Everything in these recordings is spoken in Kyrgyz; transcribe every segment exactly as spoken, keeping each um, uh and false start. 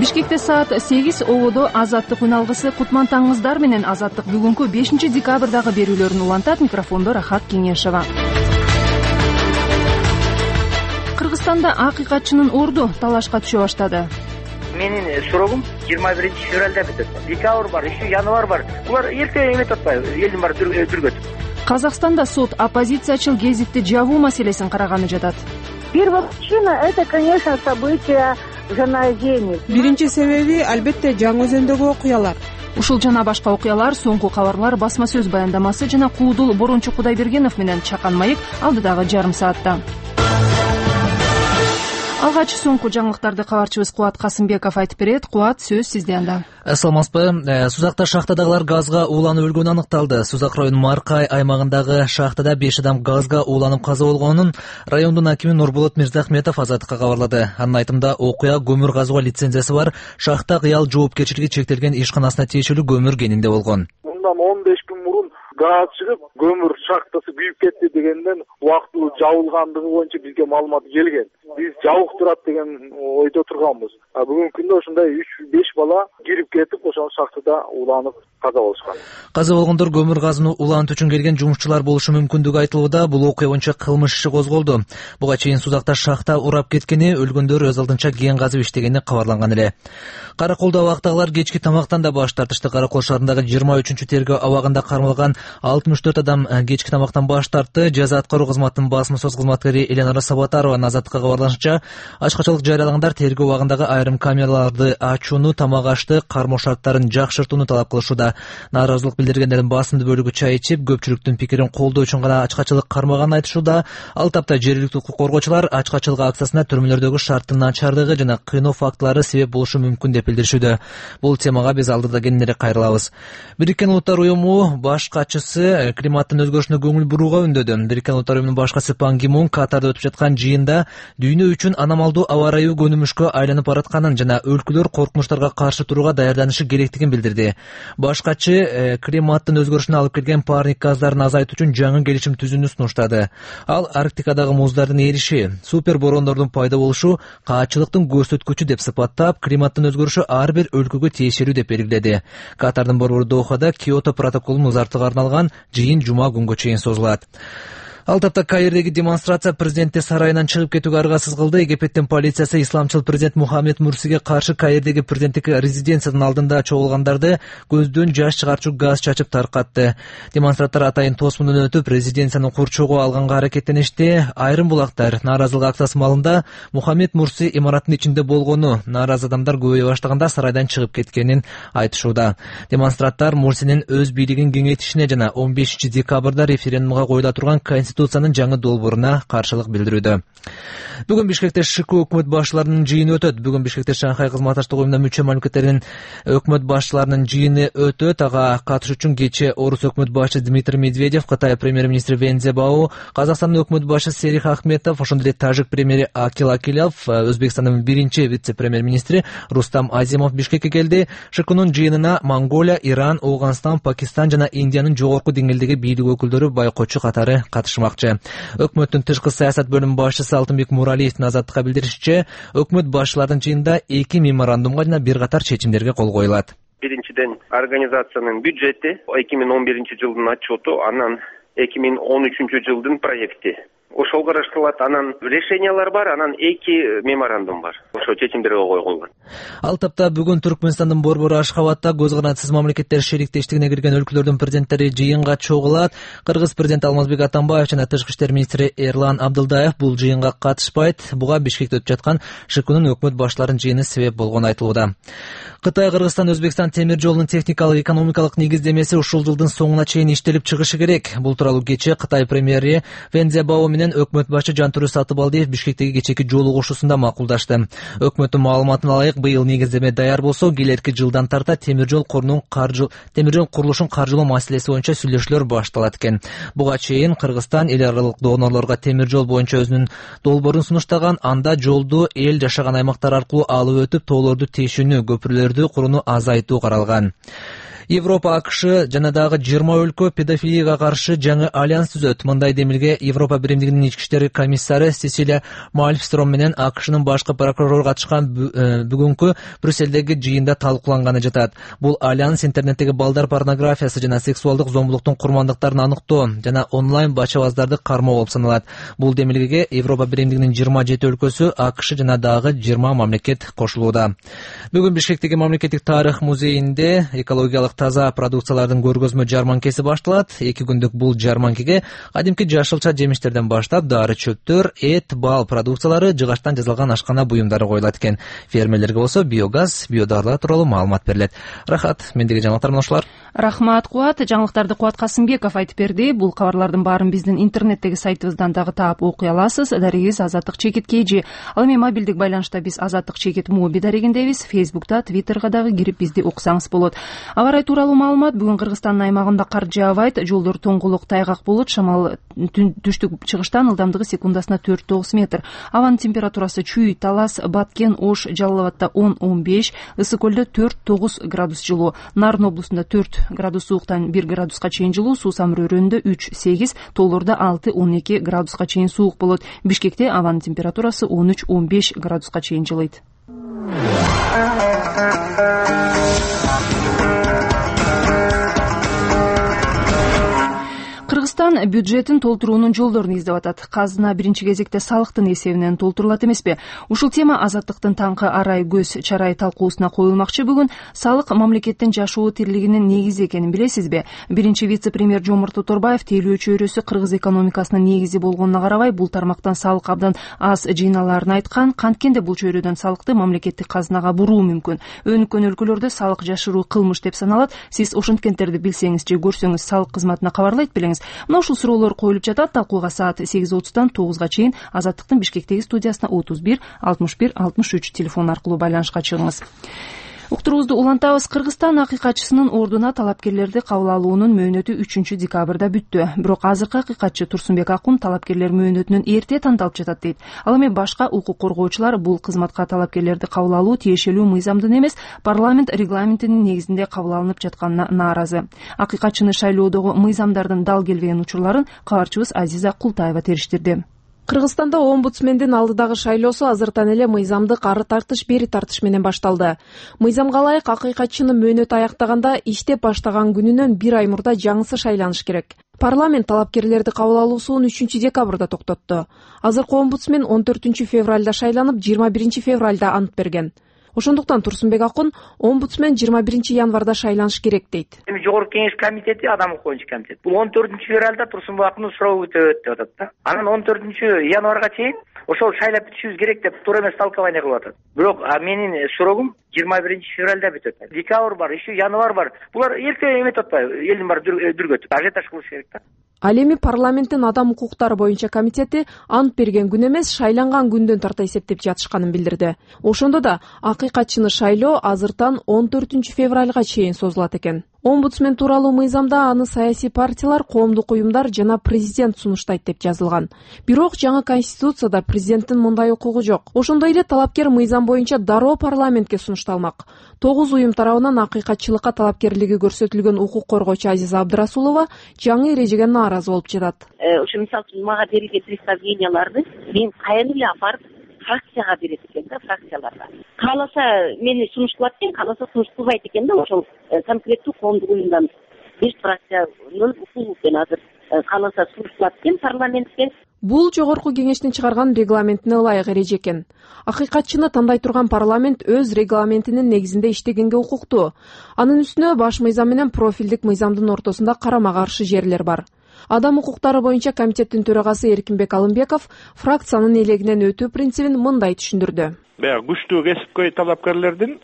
Бишкекте саат сегиз ободо Азаттык үн алгысы Кутман-Таңыздар менен Азаттык бүгүнкү бешинчи декабрдагы берүүлөрүн улантат. Микрофондо Рахат Кеңешова. Кыргызстанда акыйкатчынын орду талашка түшө баштады. Менин сурогум жыйырма биринчи февралда бүтөт. Декабр бар, еще январь бар. Булар эрте эметип атпайбы? Элдин баары түргөтүп. Казакстанда сот оппозициячыл гезитти жабуу маселесин караганы жатат. Первопричина — это, конечно, события Жаназени. Биринчи себеби албетте Жаңы Өзөндөгү окуялар. Ушул жана башка окуялар, соңку кабарлар, басма сөз баяндамасы жана Куудул Борончу Кудайбергенов менен Чакан Майык алдыдагы жарым саатта. Алгач соңку жаңылыктарды кабарчыбыз Кубат Касымбеков айтып берет. Кубат, сөз сизде анда. Саламатсызбы? Сузакта шахтадагылар газга ууланып өлгөнү аныкталды. Сузак районунун Маркай аймагындагы шахтада беш адам газга ууланып каза болгонун райондун акими Нурболот Мирзахметов Азаттыкка кабарлады. Анын айтымында окуя көмүр казууга лицензиясы бар шахта кыял жоопкерчилиги чектелген ишканасына тиешелүү көмүр кенинде болгон. Мындан он беш күн мурун газ чыгып, көмүр шахтасы күйүп кетти дегенден убактылуу жабылгандыгы боюнча бизге маалымат келген. Биз жабык турат деген ойдо турганбыз. А бүгүнкү күндө ошондой үч беш бала кирип кетип, ошол шахтада уланып каза болушкан. Каза болгондор көмүр газын улантуу үчүн келген жумушчулар болушу мүмкүндүгү айтылууда. Бул окуя боюнча кылмыш иши козголду. Буга чейин Сузакта шахта урап кеткени, өлгөндөр өз алдынча кен казып иштегени кабарланган эле. Караколдо абактагылар кечки тамактан да баш тартышты. Каракол шаарындагы жыйырма үчүнчү тергөө абагында кармалган алтымыш төрт адам кечки тамактан баш тартты. Жаза аткаруу кызматынын басма сөз кызматкери Эленора Сабатарова Азаттыкка кабарлашынча, ачкачылык жарыялагандар тергөө убагындагы айрым камераларды ачууну, тамак ашты, кармоо шарттарын жакшыртууну талап кылышууда. Нааразылык билдиргендердин басымдуу бөлүгү чай ичип, көпчүлүктүн пикирин колдоо үчүн гана ачкачылык кармаганын айтышууда. Ал тапта жергиликтүү укук коргоочулар ачкачылык акциясына төрмөлөрдөгү шарттын начардыгы жана кыйноо фактылары себеп болушу мүмкүн деп билдиришүүдө. Бул темага биз алдыда кененирээк кайрылабыз. Бириккен Улуттар уюму баш катчысы климаттын өзгөрүшүнө көңүл бурууга үндөдү. Бириккен Улуттар уюмунун баш катчысы Пан Ги Мун Катарда өтүп жаткан жыйында дүйнө үчүн аномалдуу аба ырайы көнүмүшкө айланып баратканын жана өлкөлөр коркунучтарга каршы турууга даярданышы керектигин билдирди. Баш катчы климаттын өзгөрүшүнө алып келген парник газдарын азайтуу үчүн жаңы келишим түзүүнү сунуштады. Ал Арктикадагы муздардын эриши, супер бороондордун пайда болушу каатчылыктын көрсөткүчү деп сыпаттап, климаттын өзгөрүшү ар бир өлкөгө тиешелүү деп белгиледи. Катардын борбору Дохада Киото протоколун узартууга арналган жыйын жума күнгө чейин созулат. Ал тапта Каирдеги демонстрация президенттин сарайынан чыгып кетүүгө аргасыз кылды. Египеттин полициясы исламчыл президент Мухаммед Мурсиге каршы Каирдеги президенттик резиденциянын алдында чогулгандарды көздөн жаш чыгарчу газ чачып таркатты. Демонстранттар атайын тосмундан өтүп, резиденциянын курчоого алганга аракеттеништи. Айрым булактар нааразылык акциясы маалында Мухаммед Мурси имараттын ичинде болгону, нааразы адамдар көбөйө баштаганда сарайдан чыгып кеткенин айтышууда. Демонстранттар Мурсинин өз бийлигин кеңейтишине жана он бешинчи декабрда референдумга коюла турган Конституциянын жаңы долбооруна каршылык билдирүүдө. Бүгүн Бишкекте ШК өкмөт башчыларынын жыйыны өтөт. Бүгүн Бишкекте Шанхай кызматташтык уюмуна мүчө мамлекеттердин өкмөт башчыларынын жыйыны өтөт. Ага катышуу үчүн кечээ Орус өкмөт башчысы Дмитрий Медведев, Кытай премьер-министри Вен Цзябао, Казакстандын өкмөт башчысы Серих Ахметов, ошондой эле Тажик премьери Акил Акилов, Өзбекстандын биринчи вице-премьер-министри Рустам Азимов Бишкекке келди. ШКнын жыйынына Монголия, Иран, Ауганстан, Пакистан жана Индиянын жогорку деңгээлдеги бийлик өкүлдөрү байкоочу катары катышмакчы. Өкмөттүн тышкы саясат бөлүмүнүн башчысы Алтынбек Муралиевдин Азаттыкка билдиришинче, өкмөт башчыларынын жыйынында эки меморандумга жана бир катар чечимдерге кол коюлат. Биринчиден, организациянын бюджети, эки миң он биринчи жылдын отчету, анан эки миң он үчүнчү жылдын проекти. Ошол караштырылат. Анан решениялар бар, анан эки меморандум бар. Ошо чечимдерге кол койгон. Ал тапта бүгүн Түркмөнстандын борбору Ашхабадта көз канатсыз мамлекеттер шериктештигине кирген өлкөлөрдүн президенттери жыйынга чогулат. Кыргыз президенти Алмазбек Атамбаев жана тышкы иштер министри Эрлан Абдылдаев бул жыйынга катышпайт. Буга Бишкекте өтүп жаткан ШКнын өкмөт башчыларынын жыйыны себеп болгону айтылууда. Кытай, Кыргызстан, Өзбекстан темир жолунун техникалык экономикалык негиздемеси ушул жылдын соңуна чейин иштелип чыгышы керек. Бул тууралуу кечээ Кытай премьери Вен Цзябао менен өкмөт башчы Жантүрү Сатыбалдиев Бишкектеги кечээки жолугушуусунда макулдашты. Өкмөттүн маалыматына ылайык, быйыл негиздеме даяр болсо, келерки жылдан тарта темир жол корунун каржы темир жол курулушун каржылоо маселеси боюнча сүйлөшүүлөр башталат экен. Буга чейин Кыргызстан эл аралык донорлорго темир жол боюнча өзүнүн долбоорун сунуштаган, анда жолду эл жашаган аймактар аркылуу алып өтүп, тоолорду тешүүнү, көпүрөлөрдү курууну азайтуу каралган. Европа, АКШ жана дагы жыйырма өлкө педофилияга каршы жаңы альянс түзөт. Мындай демилге Европа биримдигинин ички иштер комиссары Сесилия Мальмстром менен АКШнын башкы прокурору катышкан бүгүнкү Брюссельдеги жыйында талкууланганы жатат. Бул альянс интернеттеги балдар порнографиясы жана сексуалдык зомбулуктун курмандыктарын аныктоо жана онлайн бачабаздарды кармоо болуп саналат. Бул демилгеге Европа биримдигинин жыйырма жети өлкөсү, АКШ жана дагы жыйырма мамлекет кошулууда. Бүгүн Бишкектеги мамлекеттик тарых музейинде экологиялык таза продукциялардын көргөзмө жарманкеси башталат. Эки күндүк бул жарманкеге кадимки жашылча жемиштерден баштап дары чөптөр, эт, бал продукциялары, жыгачтан жасалган ашкана буюмдары коюлат экен. Фермерлерге болсо биогаз, биодарлар тууралуу маалымат берилет. Рахат, мендеги жаңылыктар мына ушулар. Рахмат, Кубат. Жаңылыктарды Кубат Касымбеков айтып берди. Бул кабарлардын баарын биздин интернеттеги сайтыбыздан дагы таап окуй аласыз. Дарегибиз Азаттык Чекит кей жи. Ал эми мобилдик байланышта биз Азаттык Чекит моби дарегиндебиз. Фейсбукта, Твиттерга дагы кирип бизди уксаңыз болот. Аба ырайы тууралуу маалымат. Бүгүн Кыргызстандын аймагында кар жаабайт, жолдор тоңгулук, тайгак болот, шамал түштүк чыгыштан ылдамдыгы секундасына төрт тогуз метр. Абанын температурасы Чүй, Талас, Баткен, Ош, Жалал абадда он он беш, Ысык көлдө төрт тогуз градус жылуу, Нарын облусунда төрт градус сууктан бир градуска чейин жылуу, Суу Самыр өрөөнүндө үч сегиз, тоолордо алты он эки градуска чейин суук болот. Бишкекте абанын температурасы он үч он беш градуска чейин жылыйт. Кыргызстан бюджетин толтуруунун жолдорун издеп атат. Казына биринчи кезекте салыктын эсебинен толтурулат эмеспи? Ушул тема Азаттыктын таңкы арай көз чарай талкуусуна коюлмакчы. Бүгүн салык мамлекеттин жашоо тирилигинин негизи экенин билесизби? Биринчи вице-премьер Жомарт Оторбаев тейлөө чөйрөсү кыргыз экономикасынын негизи болгонуна карабай, бул тармактан салык абдан аз жыйналаарын айткан. Канткенде бул чөйрөдөн салыкты мамлекеттик казынага буруу мүмкүн. Өнүккөн өлкөлөрдө салык жашыруу кылмыш деп саналат. Сиз ошонткенттерди билсеңиз же көрсөңүз салык кызматына кабарлайт белеңиз. Мына ушул суроолор коюлуп жатат. Талкууга саат сегиз отуздан тогузга чейин Азаттыктын Бишкектеги студиясына отуз бир алтымыш бир алтымыш үч телефон аркылуу байланышка чыгыңыз. Уктуруубузду улантабыз. Кыргызстан акыйкатчысынын ордуна талапкерлерди кабыл алуунун мөөнөтү үчүнчү декабрда бүттү. Бирок азыркы акыйкатчы Турсунбек Акун талапкерлер мөөнөтүнөн эрте тандалып жатат дейт. Ал эми башка укук коргоочулар бул кызматка талапкерлерди кабыл алуу тиешелүү мыйзамдын эмес, парламент регламентинин негизинде кабыл алынып жатканына нааразы. Акыйкатчыны шайлоодогу мыйзамдардын дал келбеген учурларын кабарчыбыз Азиза Култаева териштирди. Кыргызстанда омбудсмендин алдыдагы шайлоосу азыртан эле мыйзамдык ары тартыш бери тартыш менен башталды. Мыйзамга ылайык акыйкатчынын мөөнөтү аяктаганда иштеп баштаган күнүнөн бир ай мурда жаңысы шайланыш керек. Парламент талапкерлерди кабыл алуусун үчүнчү декабрда токтотту. Азыркы омбудсмен он төртүнчү февралда шайланып, жыйырма биринчи февралда ант берген. Ошондуктан Турсунбек Акун омбудсмен жыйырма биринчи январда шайланыш керек дейт. Эми Жогорку Кеңеш комитети, адам укугун комитет. Бул он төртүнчү февралда Турсунбек Акундун сурообу өтөт деп атат да. Анан он төртүнчү январга чейин ошол шайлап бүтүшүбүз керек деп туура эмес толкование кылып атат. Бирок менин суроогум жыйырма биринчи февралда бүтөт. Декабрь бар, еще январь бар. Булар эрте эметип атпайбы? Элдин баары дүргөтүп, ажиотаж кылыш керек да. Ал эми парламенттин адам укуктары боюнча комитети ант берген күн эмес, шайланган күндөн тарта эсептеп жатышканын билдирди. Ошондо да акыйкатчыны шайлоо азыртан он төртүнчү февралга чейин созулат экен. Омбудсмен тууралуу мыйзамда аны саясий партиялар, коомдук уюмдар жана президент сунуштайт деп жазылган. Бирок жаңы конституцияда президенттин мындай укугу жок. Ошондой эле талапкер мыйзам боюнча дароо парламентке сунушталмак. Тогуз уюм тарабынан акыйкатчылыкка талапкерлиги көрсөтүлгөн укук коргоочу Азиза Абдрасулова жаңы эрежеге нааразы болуп жатат. Ошо мисалы үчүн мага берилген представленияларды мен каян эле апарып фракцияга берет экен да, фракцияларга. Кааласа мени сунушталат экен, кааласа сунушталбайт экен да, ошол конкреттүү коомдук уюмдан беш фракциянын укугу экен азыр. Кааласа сунушталат экен парламентке. Бул Жогорку Кеңештин чыгарган регламентине ылайык эреже экен. Акыйкатчыны тандай турган парламент өз регламентинин негизинде иштегенге укуктуу. Анын үстүнө баш мыйзам менен профилдик мыйзамдын ортосунда карама-каршы жерлер бар. Адам укуктары боюнча комитеттин төрагасы Эркинбек Алымбеков фракциянын элегинен өтүү принцибин мындай түшүндүрдү. Баягы күчтүү кесипкөй талапкерлердин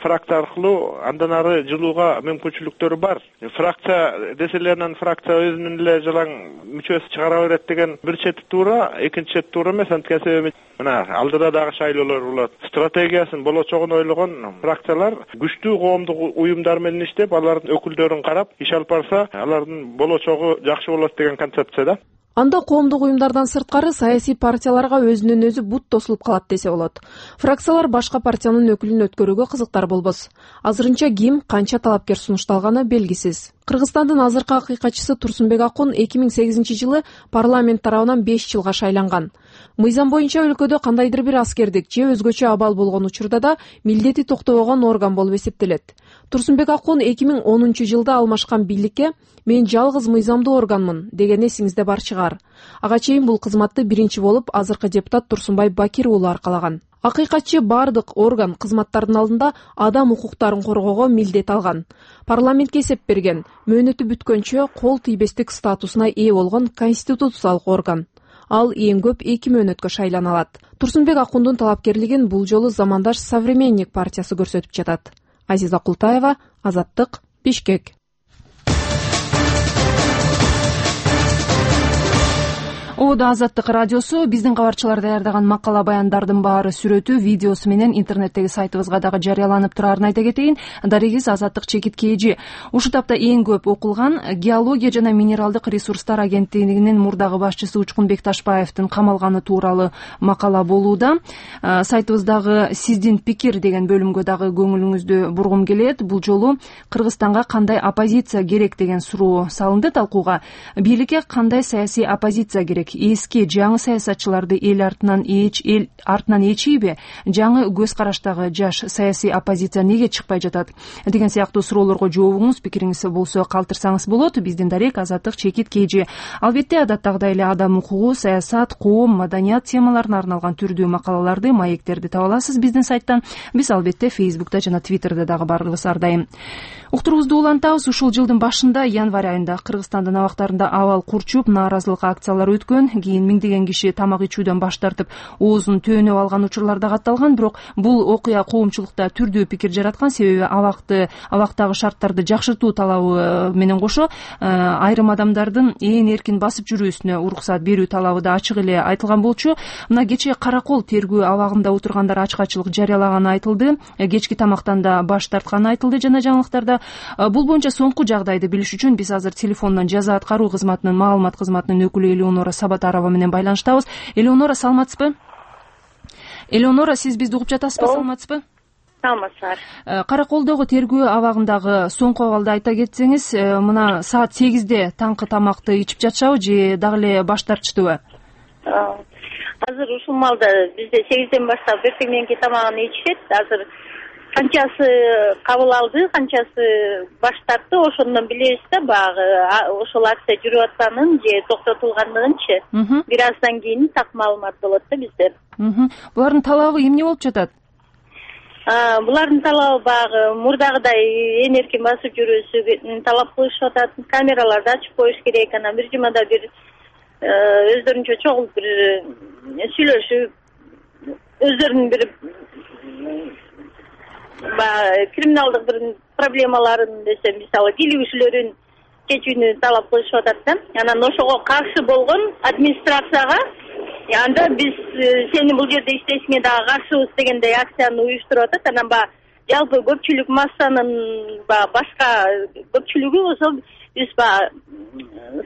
фракция аркылуу андан ары жылууга мүмкүнчүлүктөрү бар. Фракция деселеринен фракция өзүнүн эле жалаң мүчөсү чыгара берет деген бир чети туура, экинчи чети туура эмес. Анткени себеби мына алдыда дагы шайлоолор болот. Стратегиясын болочогун ойлогон фракциялар күчтүү коомдук уюмдар менен иштеп, алардын өкүлдөрүн карап иш алып барса, алардын болочогу жакшы болот деген концепция да. Анда коомдук уюмдардан сырткары саясий партияларга өзүнөн өзү бут тосулуп калат десе болот. Фракциялар башка партиянын өкүлүн өткөрүүгө кызыктар болбос. Азырынча ким, канча талапкер сунушталганы белгисиз. Кыргызстандын азыркы акыйкатчысы Турсунбек Акун эки миң сегизинчи жылы парламент тарабынан беш жылга шайланган. Мыйзам боюнча өлкөдө кандайдыр бир аскердик же өзгөчө абал болгон учурда да милдети токтобогон орган болуп эсептелет. Турсунбек Акун эки миң онунчу жылда алмашкан бийликке "Мен жалгыз мыйзамдуу органмын" деген эсиңизде бар чыгар. Ага чейин бул кызматты биринчи болуп азыркы депутат Турсунбай Бакир уулу аркалаган. Акыйкатчы бардык орган кызматтардын алдында адам укуктарын коргоого милдет алган. Парламентке эсеп берген, мөөнөтү бүткөнчө кол тийбестик статусуна ээ болгон конституциялык орган. Ал эң көп эки мөөнөткө шайлана алат. Турсунбек Акундун талапкерлигин бул жолу Замандаш Современник партиясы көрсөтүп жатат. Азиза Култаева, Азаттык, Бишкек. Ода Азаттык радиосу биздин кабарчылар даярдаган макала баяндардын баары сүрөтү, видеосу менен интернеттеги сайтыбызга дагы жарыяланып турарын айта кетейин. Дарегиз Азаттык чекит кээжи. Ушул тапта эң көп окулган Геология жана минералдык ресурстар агенттигинин мурдагы башчысы Учкунбек Ташбаевдин камалганы тууралуу макала болууда. Сайтыбыздагы сиздин пикир деген бөлүмгө дагы көңүлүңүздү бургум келет. Бул жолу Кыргызстанга кандай оппозиция керек деген суроо салынды талкууга. Бийликке кандай саясий оппозиция керек? Эски жаңы саясатчыларды эл артынан эч эл артынан эчийби? Жаңы көз караштагы жаш саясий оппозиция неге чыкпай жатат? Деген сыяктуу суроолорго жообуңуз, пикириңиз болсо калтырсаңыз болот. Биздин дарек Азаттык чекит кээжи. Албетте адаттагыдай эле адам укугу, саясат, коом, маданият темаларына арналган түрдүү макалаларды, маектерди таба аласыз биздин сайттан. Биз албетте Фейсбукта жана Твиттерде дагы барыбыз ар дайым. Уктуруубузду улантабыз. Ушул жылдын башында, январь айында Кыргызстандын абактарында абал курчуп, нааразылык акциялары өткөн. Кийин миңдеген киши тамак ичүүдөн баш тартып, оозун төөнөп алган учурлар да катталган. Бирок бул окуя коомчулукта түрдүү пикир жараткан. Себеби абакты, абактагы шарттарды жакшыртуу талабы менен кошо айрым адамдардын ээн эркин басып жүрүүсүнө уруксат берүү талабы да ачык эле айтылган болчу. Мына кечээ Каракол тергөө абагында отургандар ачкачылык жарыялаганы айтылды. Кечки тамактан да баш тартканы айтылды жана жаңылыктарда. Бул боюнча соңку жагдайды билиш үчүн биз азыр телефондон жаза аткаруу кызматынын маалымат кызматынын өкүлү Элеонора Сабатарова менен байланыштабыз. Элеонора, саламатсызбы? Элеонора, сиз бизди угуп жатасызбы? Саламатсызбы? Саламатсыздар. Караколдогу тергөө абагындагы соңку абалды айта кетсеңиз, мына саат сегизде таңкы тамакты ичип жатышабы же дагы эле баш тартыштыбы? Азыр ушул маалда бизде сегизден баштап эртең мененки тамагын ичишет. Азыр канчасы кабыл алды, канчасы баш тартты, ошондон билебиз да, баягы ошол акция жүрүп атканын же токтотулгандыгынчы. Бир аздан кийин так маалымат болот да бизде. Булардын талабы эмне болуп жатат? Булардын талабы баягы мурдагыдай ээн эркин басып жүрүүсүн талап кылышып атат. Камераларды ачып коюш керек, анан бир жумада бир өздөрүнчө чогулуп бир сүйлөшүп, өздөрүнүн бир криминалдык бир проблемаларын десем, мисалы кийлигишүүлөрүн чечүүнү талап кылышып атат да. Анан ошого каршы болгон администрацияга анда биз сени бул жерде иштешиңе дагы каршыбыз дегендей акцияны уюштуруп атат. Анан баягы жалпы көпчүлүк массанын баягы башка көпчүлүгү болсо биз баягы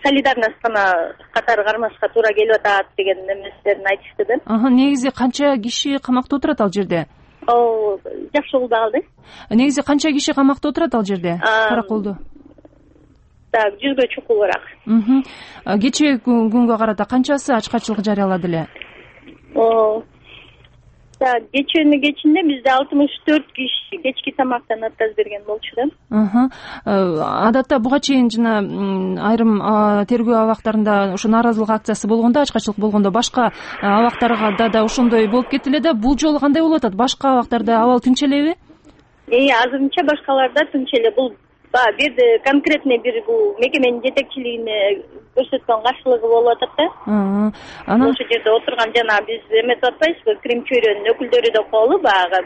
солидарностьна катары кармашка туура келип атат деген эместерин айтышты да. Негизи канча киши камакта отурат ал жерде? О, жакшы болду калды. Негизи канча киши камакта отурат ал жерде? Караколдо. Так, жүзгө чукулураак. Кечээ күнгө карата канчасы ачкачылык жарыялады эле? О, так, кечүүнүн кечинде бизде алтымыш төрт киши кечки тамактан отказ берген болчу да. Адатта буга чейин жана айрым тергөө абактарында ошо нааразылык акциясы болгондо, ачкачылык болгондо башка абактарда да ошондой болуп кетти эле да. Бул жолу кандай болуп атат? Башка абактарда абал тынч элеби? Э, азырынча башкаларда тынч эле. Бул баягы бир конкретный бир бул мекеменин жетекчилигине көрсөткөн каршылыгы болуп атат да. Анан ошол жерде отурган жана биз эметип атпайбызбы, Крим чөйрөнүн өкүлдөрү деп коелу, баягы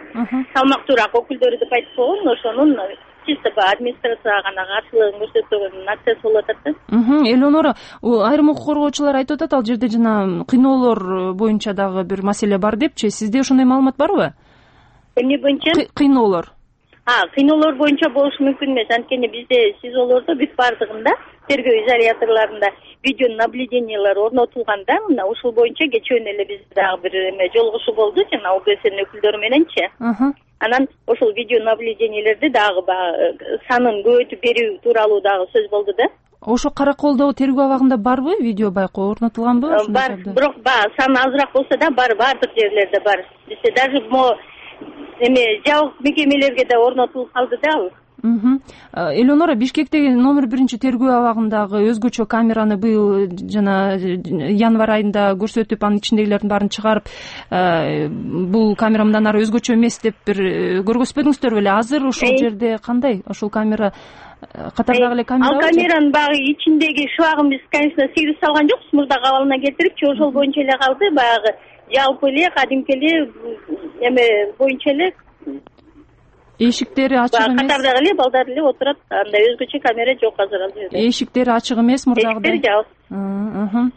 салмактуураак өкүлдөрү деп айтып койгон, ошонун чисто администрацияга гана каршылыгын көрсөтүүнүн акциясы болуп атат да. Элеонора, айрым укук коргоочулар айтып атат, ал жерде жана кыйноолор боюнча дагы бир маселе бар депчи. Сизде ошондой маалымат барбы? Эмне боюнча? Кыйноолор. А, кыйноолор боюнча болушу мүмкүн эмес. Анткени бизде СИЗОлордо бүт бардыгында тергөө изоляторлорунда видео наблюдениялар орнотулганда мына ушул боюнча кечээ эле бизде дагы бир эме жолугушуу болду жана ОГСнин өкүлдөрү мененчи. Анан ошол видео наблюдениялерди дагы баягы санын көбөйтүп берүү тууралуу дагы сөз болду да. Ошо Караколдогу тергөө абагында барбы видео байкоо орнотулганбы? Бар, бирок баягы саны азыраак болсо да бар, баардык жерлерде бар. Бизде даже мо эме жабык мекемелерге да орнотулуп калды да ал. Элеонора, Бишкектеги номер биринчи тергөө абагындагы өзгөчө камераны быйыл жана январь айында көрсөтүп, анын ичиндегилердин баарын чыгарып, бул камера мындан ары өзгөчө эмес деп бир көргөзбөдүңүздөр беле? Азыр ошол жерде кандай? Ошол камера катардагы эле камера. Ал камеранын багы ичиндеги шыбагын биз, конечно, сыйрып салган жокпуз, мурдак абалына келтирипчи, ошол боюнча эле калды. Баягы жалпы эле кадимки эле эме боюнча эле эшиктери ачык эмес. Катардагы эле балдар эле отурат. Андай өзгөчө камера жок азыр ал жерде. Эшиктери ачык эмес мурдагыдай. Эшиктери жабык.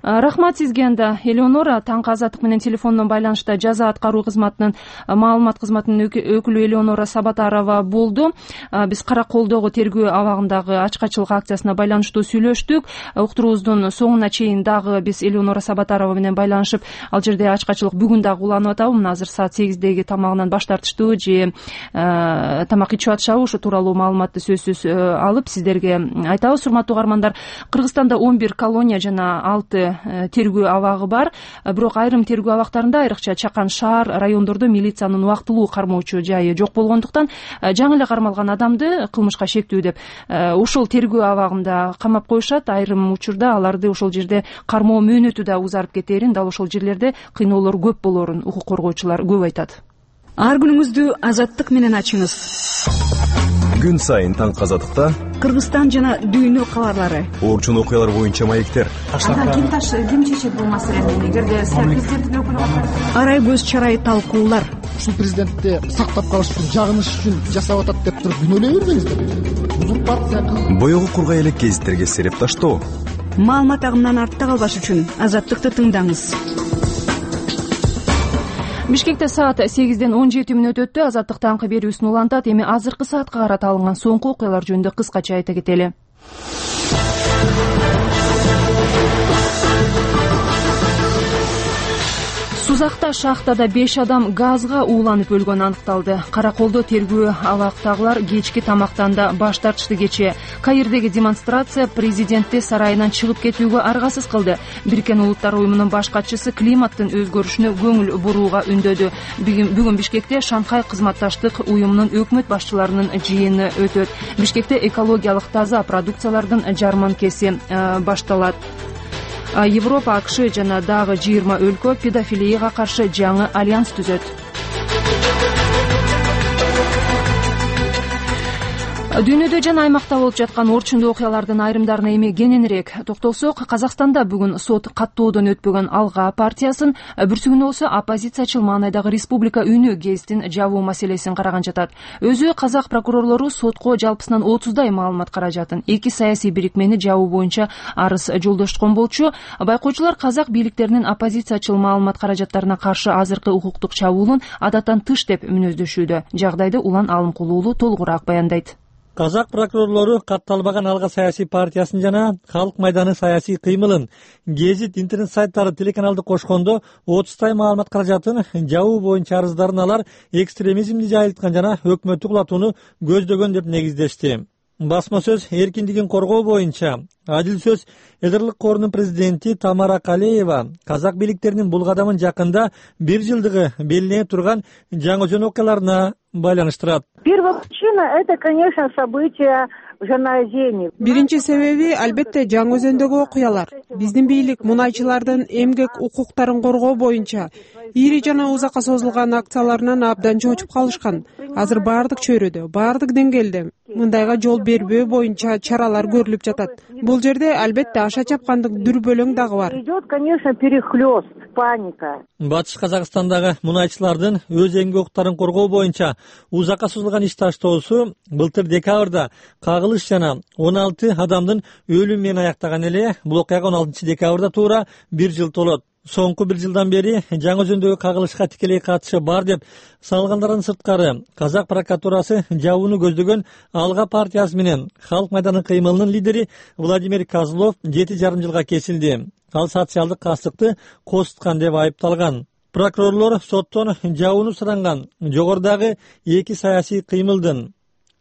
Рахмат сизге. Анда Элеонора таңкы Азаттык менен телефондон байланышта жаза аткаруу кызматынын маалымат кызматынын өкүлү Элеонора Сабатарова болду. Биз Караколдогу тергөө абагындагы ачкачылык акциясына байланыштуу сүйлөштүк. Уктуруубуздун соңуна чейин дагы биз Элеонора Сабатарова менен байланышып, ал жерде ачкачылык бүгүн дагы уланып атабы? Мына азыр саат сегиздеги тамагынан баш тартыштыбы же тамак ичип атышабы? Ошо тууралуу маалыматты сөзсүз алып сиздерге айтабыз. Урматтуу угармандар, Кыргызстанда он бир колония жана алты тергөө абагы бар. Бирок айрым тергөө абактарында, айрыкча Чакан шаар райондордо милициянын убактылуу кармоочу жайы жок болгондуктан жаңы эле кармалган адамды кылмышка шектүү деп ошол тергөө абагында камап коюшат. Айрым учурда аларды ошол жерде кармоо мөөнөтү да узарып кетээрин, дал ошол жерлерде кыйноолор көп болоорун укук коргоочулар көп айтат. Ар күнүңүздү Азаттык менен ачыңыз. Күн сайын таңкы Азаттыкта Кыргызстан жана дүйнө кабарлары, орчун окуялар боюнча маектер. Ким таш ким чечет бул маселени? Эгерде президенттин өкүлү арай көз чарай талкуулар. Ушул президентти сактап калыш үчүн, жагыныш үчүн жасап атат деп туруп күнөөлөй бербеңиздер. Узурпация. Боёгу кургай элек гезиттерге сереп таштоо. Маалымат агымынан артта калбаш үчүн Азаттыкты тыңдаңыз. Бишкекте саат сегизден он жети мүнөт өттү. Азаттык таңкы берүүсүн улантат. Эми азыркы саатка карата алынган соңку окуялар жөнүндө кыскача айта кетели. Сузакта шахтада беш адам газга ууланып өлгөнү аныкталды. Караколдо тергөө абактагылар кечки тамактанда баш тартышты. Кечээ Каирдеги демонстрация президентти сарайынан чыгып кетүүгө аргасыз кылды. Бириккен Улуттар уюмунун баш катчысы климаттын өзгөрүшүнө көңүл бурууга үндөдү. Бүгүн Бишкекте Шанхай кызматташтык уюмунун өкмөт башчыларынын жыйыны өтөт. Бишкекте экологиялык таза продукциялардын жарманкеси башталат. Европа, АКШ жана дагы жыйырма өлкө педофилияга каршы жаңы альянс түзөт. Дүйнөдө жана аймакта болуп жаткан орчундуу окуялардын айрымдарына эми кененирээк токтолсок, Казакстанда бүгүн сот каттоодон өтпөгөн Алга партиясын, бүрсүгүнө болсо оппозициячыл маанайдагы Республика үнү гезитин жабуу маселесин караган жатат. Өзү казак прокурорлору сотко жалпысынан отуздай маалымат каражатын, эки саясий бирикмени жабуу боюнча арыз жолдошкон болчу. Байкоочулар казак бийликтеринин оппозициячыл маалымат каражаттарына каршы азыркы укуктук чабуулун адаттан тыш деп мүнөздөшүүдө. Жагдайды Улан Алымкулуу уулу толугураак баяндайт. Казак прокурорлору катталбаган Алга саясий партиясын жана Халык майданы саясий кыймылын, гезит, интернет сайттары, телеканалды кошкондо отуздай маалымат каражатын жабуу боюнча арыздарын алар экстремизмди жайылткан жана өкмөттү кулатууну көздөгөн деп негиздешти. Басма сөз эркиндигин коргоо боюнча Адил сөз Эдерлик корунун президенти Тамара Калеева казак бийликтеринин бул кадамын жакында бир жылдыгы белгиленип турган жаңы жөн окуяларына байланыштырат. Первая причина — это, конечно, события в Жанаозене. Биринчи себеби албетте Жаңы Өзөндөгү окуялар. Биздин бийлик мунайчылардын эмгек укуктарын коргоо боюнча ири жана узакка созулган акцияларынан абдан чочуп калышкан. Азыр баардык чөйрөдө, баардык деңгээлде мындайга жол бербөө боюнча чаралар көрүлүп жатат. Бул жерде албетте аша чапкандык дүрбөлөң дагы бар. Идет, конечно, перехлёст, паника. Батыш Казакстандагы мунайчылардын өз эмгек укуктарын коргоо боюнча узакка созулган иш таштоосу былтыр декабрда кагылыш жана он алты адамдын өлүмү менен аяктаган эле. Бул окуяга он алтынчы декабрда туура бир жыл толот. Соңку бир жылдан бери Жаңы Өзөндөгү кагылышка тикелей катышы бар деп салгандардан сырткары Казак прокуратурасы жабууну көздөгөн Алга партиясы менен Халык майданы кыймылынын лидери Владимир Козлов жети жарым жылга кесилди. Ал социалдык кастыкты козуткан деп айыпталган. Прокурорлор соттон жабууну суранган жогорудагы эки саясий кыймылдын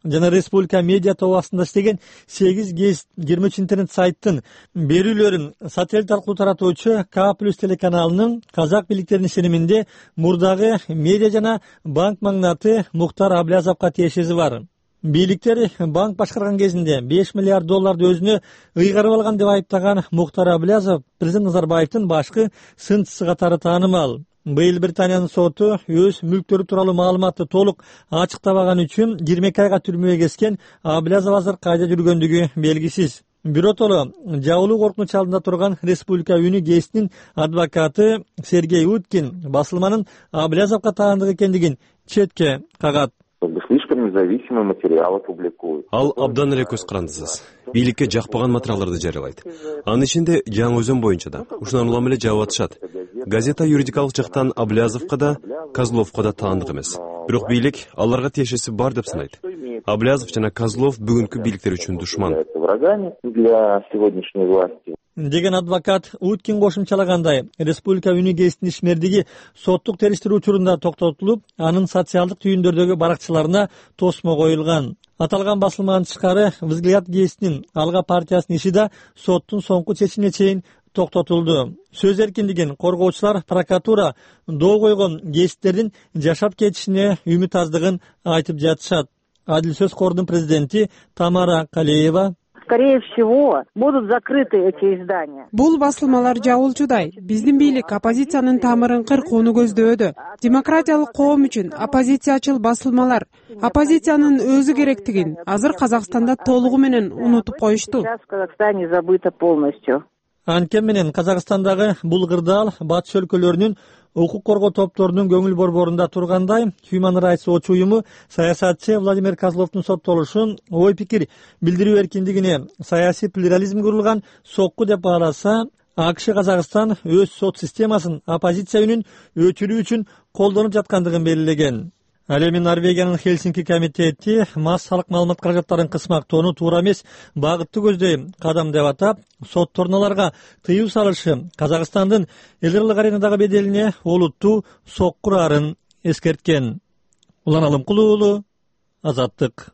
жана Республика медиа тобасында иштеген сегиз гезит, жыйырма үч интернет сайттын берүүлөрүн сателлит аркылуу таратуучу К плюс телеканалынын казак бийликтеринин ишениминде мурдагы медиа жана банк магнаты Муктар Аблязовго тиешеси бар. Бийликтер банк башкарган кезинде беш миллиард долларды өзүнө ыйгарып алган деп айыптаган Муктар Аблязов президент Назарбаевдин башкы сынчысы катары таанымал. Быйыл Британиянын соту өз мүлктөрү тууралуу маалыматты толук ачыктабаган үчүн жыйырма эки айга түрмөгө кескен. Аблязов азыр кайда жүргөндүгү белгисиз. Биротоло жабылуу коркунуч алдында турган Республика үнү гезитинин адвокаты Сергей Уткин басылманын Аблязовго таандык экендигин четке кагат. Слишком независимый материал публикует. Ал абдан эле көз карандысыз. Бийликке жакпаган материалдарды жарыялайт. Анын ичинде Жаңы Өзөн боюнча да ушундан улам эле жабып атышат. Газета юридикалык жактан Аблязовго да, Козловго да таандык эмес. Бирок бийлик аларга тиешеси бар деп санайт. Аблязов жана Козлов бүгүнкү бийликтер үчүн душман. Для сегодняшней власти. Деген адвокат Уткин кошумчалагандай, Республика үнү гезитинин ишмердиги соттук териштирүү учурунда токтотулуп, анын социалдык түйүндөрдөгү баракчыларына тосмо коюлган. Аталган басылманын тышкары Взгляд гезитинин Алга партиясынын иши да соттун соңку чечимине чейин токтотулду. Сөз эркиндигин коргоочулар прокуратура доо койгон гезиттердин жашап кетишине үмүт аздыгын айтып жатышат. Адил сөз кордун президенти Тамара Калеева: Скорее всего, будут закрыты эти издания. Бул басылмалар жабылчудай. Биздин бийлик оппозициянын тамырын кыркууну көздөөдө. Демократиялык коом үчүн оппозициячыл басылмалар оппозициянын өзү керектигин азыр Казакстанда толугу менен унутуп коюшту. Сейчас в Казахстане забыто полностью. Анткени менен Казакстандагы бул кырдаал батыш өлкөлөрүнүн укук коргоо топторунун көңүл борборунда тургандай, Human Rights Watch уюму саясатчы Владимир Козловдун соттолушун ой пикир билдирүү эркиндигине саясий плюрализм курулган сокку деп бааласа, АКШ Казакстан өз сот системасын оппозиция үнүн өчүрүү үчүн колдонуп жаткандыгын белгилеген. Ал эми Норвегиянын Хельсинки комитети массалык маалымат каражаттарын кысмактоону туура эмес багытты көздөй кадам деп атап, соттордун аларга тыюу салышы Казакстандын эл кырлык аренадагы беделине олуттуу сокку урарын эскерткен. Улан Алымкулуу уулу, Азаттык.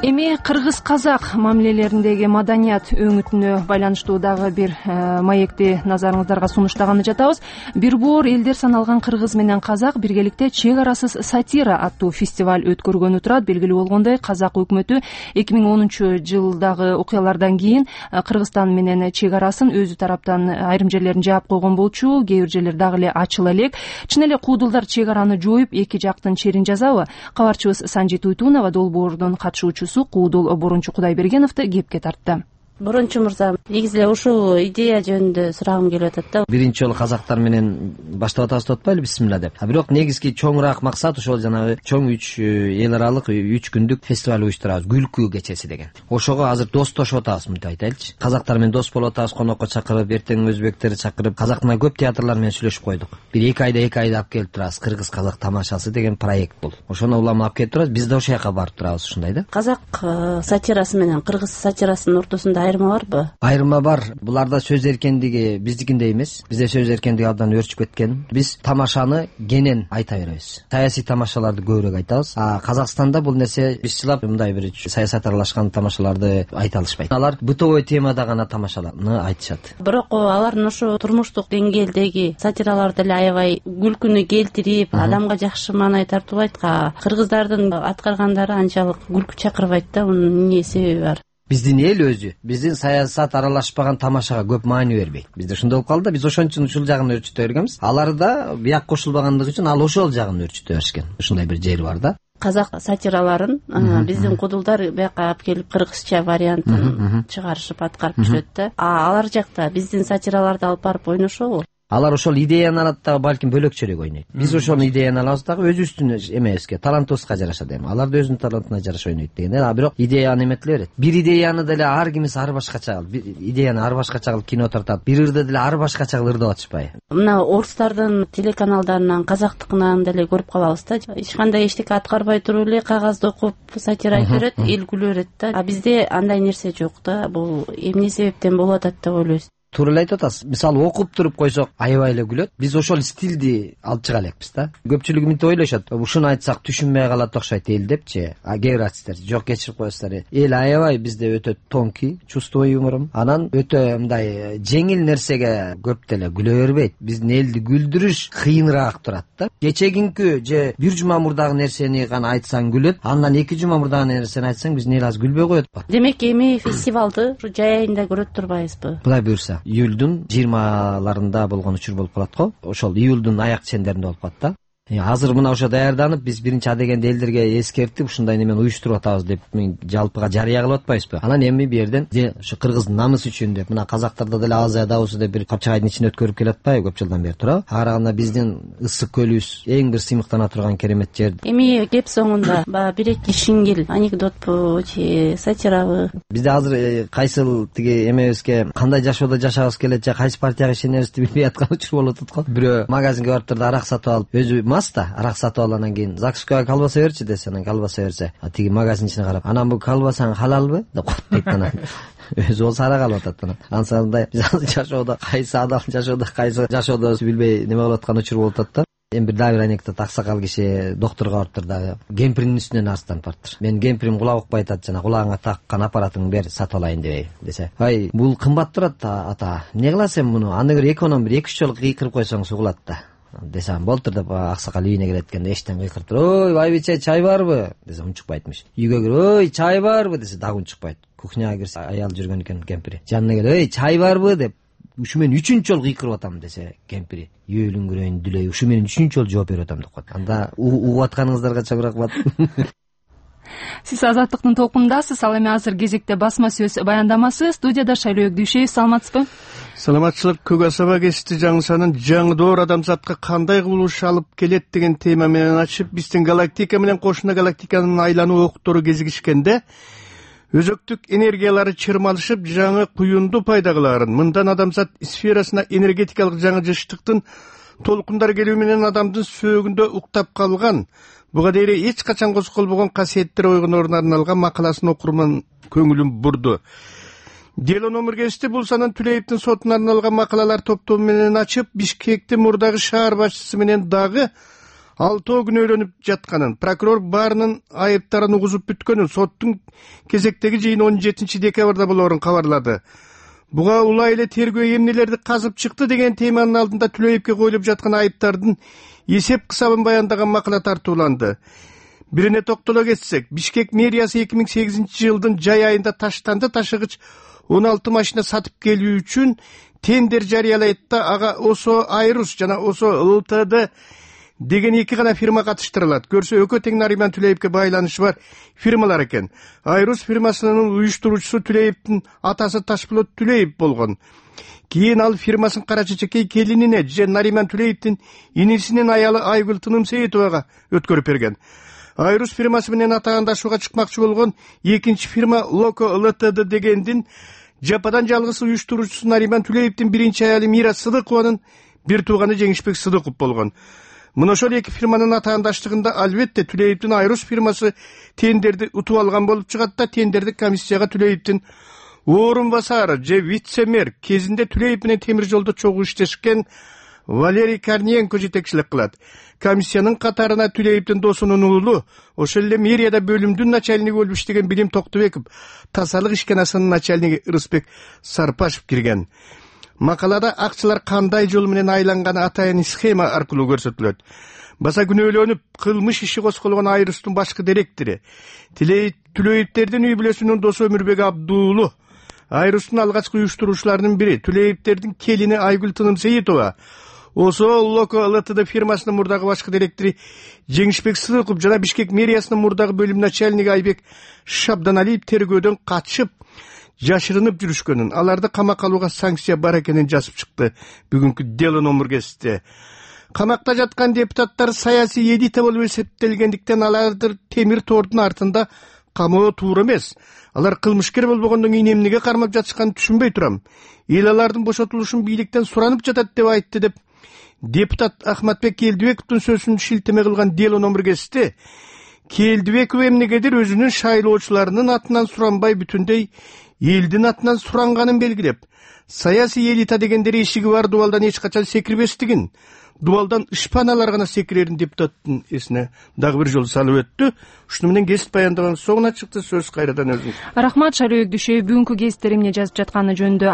Эми кыргыз-казак мамилелериндеги маданият өңүтүнө байланыштуу дагы бир маекти назарыңыздарга сунуштаганы жатабыз. Бир боор элдер саналган кыргыз менен казак биргеликте чек арасыз сатира аттуу фестиваль өткөргөнү турат. Белгилүү болгондой, казак өкмөтү эки миң онунчу жылдагы окуялардан кийин Кыргызстан менен чек арасын өзү тараптан айрым жерлерин жаап койгон болчу, кээ бир жерлер дагы эле ачыла элек. Чын эле куудулдар чек араны жоюп, эки жактын черин жазабы? Кабарчыбыз Санжит Уйтунова долбоордун катышуучусу Куудул Борунчу Кудайбергеновду кепке тартты. Борунчу мырза, негизи эле ушул идея жөнүндө сурагым келип атат да. Биринчи жолу казактар менен баштап атабыз деп атпайлы, бисмилла деп. А бирок негизги чоңураак максат ошол жанагы чоң үч эл аралык үч күндүк фестиваль уюштурабыз, күлкү кечеси деген. Ошого азыр достошуп атабыз, мынтип айтайлычы. Казактар менен дос болуп атабыз, конокко чакырып, эртең өзбектерди чакырып, казактан көп театрлар менен сүйлөшүп койдук. Бир эки айда эки айда алып келип турабыз. Кыргыз казак тамашасы деген проект бул. Ошону улам алып келип турабыз. Биз да ошол жака барып турабыз, ушундай да. Казак сатирасы менен кыргыз сатирасынын ортосунда айырма барбы? Айырма бар. Буларда сөз эркиндиги биздикиндей эмес. Бизде сөз эркиндиги абдан өөрчүп кеткен. Биз тамашаны кенен айта беребиз. Саясий тамашаларды көбүрөөк айтабыз. А Казакстанда бул нерсе бизчилап мындай бир саясат аралашкан тамашаларды айта алышпайт. Алар бытовой темада гана тамашаларды айтышат. Бирок алардын ошо турмуштук деңгээлдеги сатираларды эле аябай күлкүнү келтирип, адамга жакшы маанай тартуулайт. Кыргыздардын аткаргандары анчалык күлкү чакырбайт да. Мунун эмне себеби бар? Биздин эл өзү биздин саясат аралашпаган тамашага көп маани бербейт. Бизде ошондой болуп калды да, биз ошон үчүн ушул жагын өөрчүтө бергенбиз. Алар да бияк кошулбагандыгы үчүн ал ошол жагын өөрчүтө беришкен. Ушундай бир жери бар да. Казак сатираларын биздин кудулдар бияка алып келип кыргызча вариантын чыгарышып аткарып жүрөт да. А алар жакта биздин сатираларды алып барып ойношобу? Алар ошол идеяны алат дагы балким бөлөкчөрөөк ойнойт. Биз ошол идеяны алабыз дагы өзүбүздүн эмебизге, талантыбызга жараша дейм. Алар да өзүнүн талантына жараша ойнойт дегенде, а бирок идеяны эметиле берет. Бир идеяны деле ар кимиси ар башкача кылып, идеяны ар башкача кылып кино тартат. Бир ырды деле ар башкача кылып ырдап атышпайбы? Мына орустардын телеканалдарынан, казактыкынан деле көрүп калабыз да. Эч кандай эчтеке аткарбай туруп эле кагазды окуп сатира айтып берет, эл күлө берет да. А бизде андай нерсе жок да. Бул эмне себептен болуп атат деп ойлойсуз? Туура эле айтып атасыз. Мисалы окуп туруп койсок аябай эле күлөт. Биз ошол стилди алып чыга элекпиз да. Көпчүлүгү мынтип ойлошот. Ушуну айтсак түшүнбөй калат окшойт эл депчи. А кээ бир артисттер жок кечирип коесуздар. Эл аябай бизде өтө тонкий, чувствовой юморум. Анан өтө мындай жеңил нерсеге көп деле күлө бербейт. Биздин элди күлдүрүш кыйыныраак турат да. Кечегинки же бир жума мурдагы нерсени гана айтсаң күлөт. Андан эки жума мурдагы нерсени айтсаң биздин эл азыр күлбөй коет го. Демек эми фестивалды жай айында көрөт турбайбызбы? Кудай буйрса. Июлдун жыйырмаларында болгон учур болуп калат го. Ошол июлдун аяк чендеринде болуп калат да. Азыр мына ошо даярданып, биз биринчи адегенде элдерге эскертип, ушундай немен уюштуруп атабыз деп жалпыга жарыя кылып атпайбызбы? Анан эми бу жерден ошо кыргыздын намысы үчүн деп, мына казактарда деле Азия дабысы деп бир капчагайдын ичине өткөрүп келип атпайбы көп жылдан бери туурабы? Ага караганда биздин ысык көлүбүз эң бир сыймыктана турган керемет жер. Эми кеп соңунда баягы бир эки шиңгил анекдотпу же сатирабы? Бизде азыр кайсыл тиги эмебизге кандай жашоодо жашагыбыз келет же кайсы партияга ишенерибизди билбей аткан учур болуп атат го. Бирөө магазинге барып туруп арак сатып алып, өзү да арак сатып алып анан кийин ЗАГСка колбаса берчи десе, анан колбаса берсе, а тиги магазинчине карап, анан бул колбасаң халалбы деп коет дейт. Анан өзү болсо арак алып атат. Анан ансандай жашоодо кайсы адам жашоодо кайсы жашоодо билбей неме кылып аткан учур болуп атат да. Эми бир дагы бир анекдот, аксакал киши доктурга барыптыр дагы, кемпиринин үстүнөн арстанып барыптыр. Мен кемпирим кулак укпай атат, жана кулагыңа таккан аппаратыңды бер, сатып алайын дебей десе. Ай, бул кымбат турат ата. Эмне кыласың муну? Аны бир эконом бир эки үч жолу кыйкырып койсоң сугулат да. Десем болтур деп аксакал үйүнө келет эткенде эчтен кыйкырып туруп, ой байбиче чай барбы десе унчукпайтмыш. Үйгө кирип, ой чай барбы десе дагы унчукпайт. Кухняга кирсе аял жүргөн экен кемпири. Жанына келип, ой чай барбы деп ушу мен үчүнчү жолу кыйкырып атам десе кемпири, үйөлүңгүрөйүн дүлөй, ушу мен үчүнчү жолу жооп берип атам деп коет. Анда угуп атканыңыздарга чоң рахмат. Сиз Азаттыктын толкунундасыз. Ал эми азыр кезекте басма сөз баяндамасы. Студияда Шайлоо Өкдүшев, саламатсызбы? Саламатчылык Көк Асаба кести жаңсанын жаңы доор адамзатка кандай кубулуш алып келет деген тема менен ачып, биздин галактика менен кошуна галактиканын айлануу октору кезигишкенде өзөктүк энергиялары чырмалышып жаңы куюнду пайда кылаарын, мындан адамзат сферасына энергетикалык жаңы жыштыктын толкундар келүү менен адамдын сөөгүндө уктап калган, буга дейре эч качан козголбогон касиеттер ойгоноруна арналган макаласын окурман көңүлүм бурду. Дело номер кести бул санын Түлеевдин сотуна арналган макалалар топтому менен ачып, Бишкектин мурдагы шаар башчысы менен дагы алтоо күнөөлөнүп жатканын, прокурор баарынын айыптарын угузуп бүткөнүн, соттун кезектеги жыйыны он жетинчи декабрда болоорун кабарлады. Буга улай эле тергөө эмнелерди казып чыкты деген теманын алдында Түлеевге коюлуп жаткан айыптардын эсеп кысабын баяндаган макала тартууланды. Бирине токтоло кетсек, Бишкек мэриясы эки миң сегизинчи жылдын жай айында таштанды ташыгыч он алты машина сатып келүү үчүн тендер жарыялайт да, ага ОСО Айрус жана ОСО ЛТД деген эки гана фирма катыштырылат. Көрсө Өкө тең Нариман Түлеевге байланышы бар фирмалар экен. Айрус фирмасынын уюштуруучусу Түлеевдин атасы Ташболот Түлеев болгон. Кийин ал фирмасын Кара Чечекей келинине же Нариман Түлеевдин инисинин аялы Айгүл Тынымсейитовага өткөрүп берген. Айрус фирмасы менен атаандашууга чыкмакчы болгон экинчи фирма Локо ЛТД дегендин жападан жалгыз уюштуруучусу Нариман Түлеевдин биринчи аялы Мира Сыдыкованын бир тууганы Жеңишбек Сыдыков болгон. Мына ошол эки фирманын атаандаштыгында албетте Түлеевдин Айрус фирмасы тендерди утуп алган болуп чыгат да, тендердик комиссияга Түлеевдин орун басары же вице-мэр кезинде Түлеев менен темир жолдо чогуу иштешкен Валерий Корниенко жетекчилик кылат. Комиссиянын катарына Түлеевдин досунун уулу, ошол эле мэрияда бөлүмдүн начальниги болуп иштеген Билим Токтубеков, тазалык ишканасынын начальниги Ырысбек Сарпашев кирген. Макалада акчалар кандай жол менен айланганы атайын схема аркылуу көрсөтүлөт. Баса күнөөлөнүп, кылмыш иши козголгон Айрустун башкы директору, Түлеевдердин үй бүлөсүнүн досу Өмүрбек Абдуулу, Айрустун алгачкы уюштуруучуларынын бири, Түлеевдердин келини Айгүл Тынымсейитова, ОСО Локо ЛТД фирмасынын мурдагы башкы директору Жеңишбек Сыдыков жана Бишкек мэриясынын мурдагы бөлүм начальниги Айбек Шабданалиев тергөөдөн качып, жашырынып жүрүшкөнүн, аларды камакка алууга санкция бар экенин жазып чыкты бүгүнкү дело номер кезите. Камакта жаткан депутаттар саясий элита болуп эсептелгендиктен аларды темир тордун артында камоо туура эмес. Алар кылмышкер болбогондон кийин эмнеге кармап жатышканын түшүнбөй турам. Эл алардын бошотулушун бийликтен суранып жатат деп айтты деп депутат Ахматбек Келдибековдун сөзүн шилтеме кылган дело номер кезите Келдибеков эмнегедир өзүнүн шайлоочуларынын атынан суранбай бүтүндөй элдин атынан суранганын белгилеп, саясий элита дегендер эшиги бар дубалдан эч качан секирбестигин, дубалдан ышпаналар гана секирерин депутаттын эсине дагы бир жолу салып өттү. Ушуну менен гезит баяндабанын соңуна чыкты. Сөз кайрадан өзүңүз. Рахмат, Шайлоо Өгдүшев бүгүнкү гезитте эмне жазып жатканы жөнүндө